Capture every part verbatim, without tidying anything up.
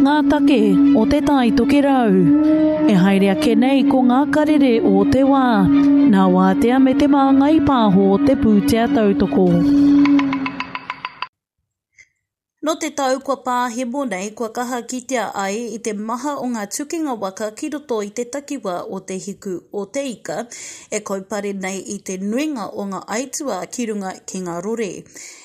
ngā take o Te Tai Tokerau. E haere ake nei ko ngā karere o te wā, nā Wātea me Te Māngai Pāho te pūtea tautoko. Nō te tau kua pāhemo nei, kua kaha kitea ai i te maha o ngā tukinga waka ki roto i te takiwā o Te Hiku o Te Ika, e kaupare nei i te nuinga o ngā aituā ki runga ki ngā rori.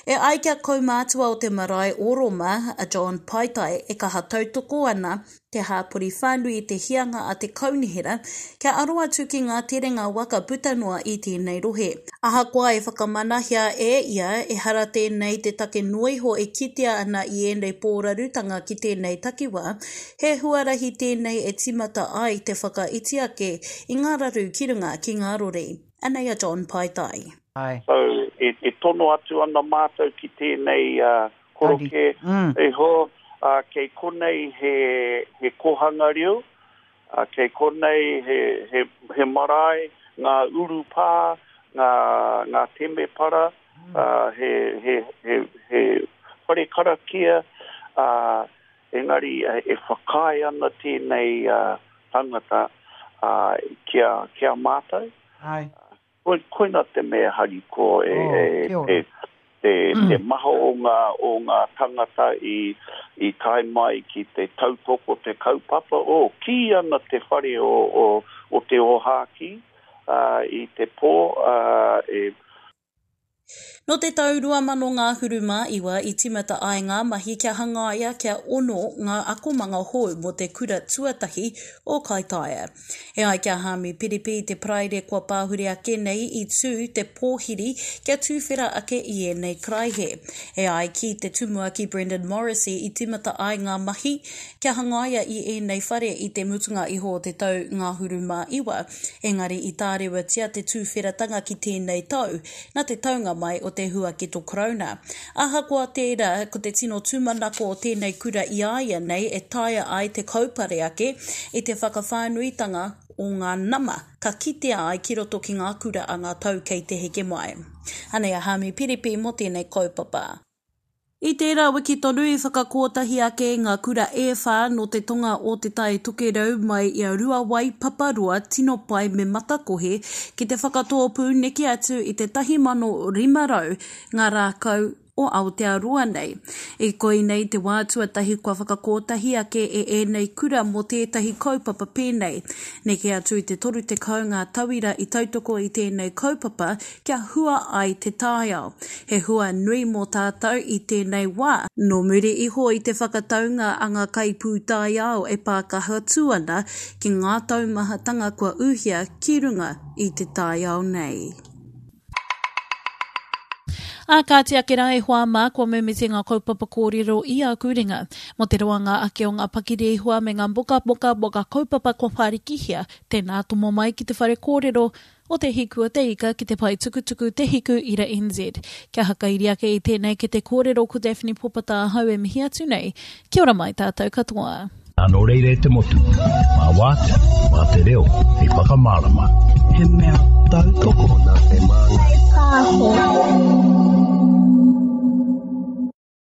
E ai kia kaumātua o te marae o Roma, a John Paitai, e kaha tautoko ana te hāpori whānui i te hianga a te kaunihera kia aro atu ki ngā terenga waka puta noa i tēnei rohe. Ahakoa e whakamanahia e ia, ehara tēnei te take noa iho e kitea ana i ēnei pōrarutanga ki tēnei takiwā, he huarahi tēnei e tīmata ai te whakaiti ake i ngā raru ki runga ki ngā rori. Anei a John Paitai. So, e, e tono atu ana mātou ki tēnei uh, koroke Mm. iho, uh, kei konei he, he kohanga reo, uh, kei konei he, he, he marae, ngā urupā, ngā, ngā temepara, uh, he, he, he, he whare karakia, uh, engari e, e whakaae ana tēnei uh, tangata uh, kia, kia mātou. Ai. Koi, koina te mea hariko e, Oh, e, kia ora. e, te, te maha o ngā, o ngā tangata i, i tae mai ki te tautoko te kaupapa. O, kī ana te whare o, o, o te Ōhākī uh, i te pō, uh, e Nō te tau rua mano ngahuru mā iwa i tīmata ai ngā mahi kia hangaia kia ono ngā akomanga hou mō te kura tuatahi o Kaitaia. E ai kia Hāmi Piripi te Paraire kua pāhure ake nei i tū te pōhiri kia tūwhera ake i ēnei karaihe. E ai ki te tumuaki Brendan Morrissey i tīmata ai ngā mahi kia hangaia i ēnei whare i te mutunga iho o te tau ngahuru mā iwa, engari i tārewatia te tūwheratanga ki tēnei tau, nā te taunga mai o te huaketo Karauna. Ahakoa tērā, ko te tino tūmanako o tēnei kura i a ia nei e taea ai te kaupare ake i te whakawhānuitanga o ngā nama ka kitea ai ki roto ki ngā kura a ngā tau kei te heke mai. Anei a Hāmi Piripi mō tēnei kaupapa. I tērā wiki tonu i whakakōtahi ake ngā kura e whā nō te tonga o Te Tai Tokerau mai i a Ruawai, Paparoa, Tinopai me Matakohe ki te whakatōpū neke atu i te tahi mano rima rau ngā rākau o Aotearoa nei. I koinei te wā tuatahi kua whakakōtahi ake e ēnei kura mō tētahi kaupapa pēnei. Neke atu i te toru tekau ngā tauira i tautoko i tēnei kaupapa kia hua ai te taiao. He hua nui mō tātou i tēnei wā. Nō muri iho i te whakataunga a ngā kaipūtaiao e pākaha atu ana ki ngā taumahatanga kua uhia ki runga i te taiao nei. Ā, kāti ake rā e hoa mā, kua mimiti ngā kaupapa kōrero i aku ringa. Mō te roanga ake o ngā pakirehua me ngā mokamoka mō ngā kaupapa kua whārikihia, tēnā tomo mai ki te whare kōrero o Te Hiku o Te Ika ki te pae tukutuku Te Hiku Ira N Z. Kia hakairi ake i tēnei ki te kōrero ko Daphne Popata ahau e mihi atu nei. Kia ora mai tātou katoa. Nō reira e te motu, mā wātea, mā te reo, hei whakamārama. He mea tautoko nā te māngai. Pāho.